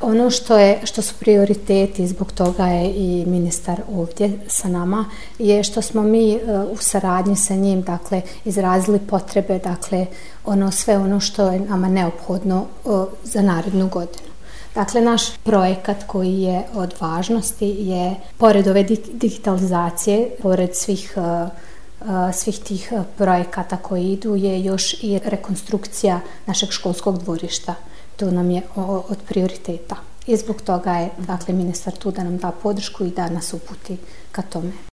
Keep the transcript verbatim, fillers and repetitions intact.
Ono što je, što su prioriteti, zbog toga je i ministar ovdje sa nama, je što smo mi u saradnji sa njim, dakle, izrazili potrebe, dakle, ono sve ono što je nama neophodno za narednu godinu. Dakle, naš projekat koji je od važnosti je, pored ove digitalizacije, pored svih svih tih projekata koji idu, je još i rekonstrukcija našeg školskog dvorišta. To nam je od prioriteta. I zbog toga je, dakle, ministar tu da nam da podršku i da nas uputi ka tome.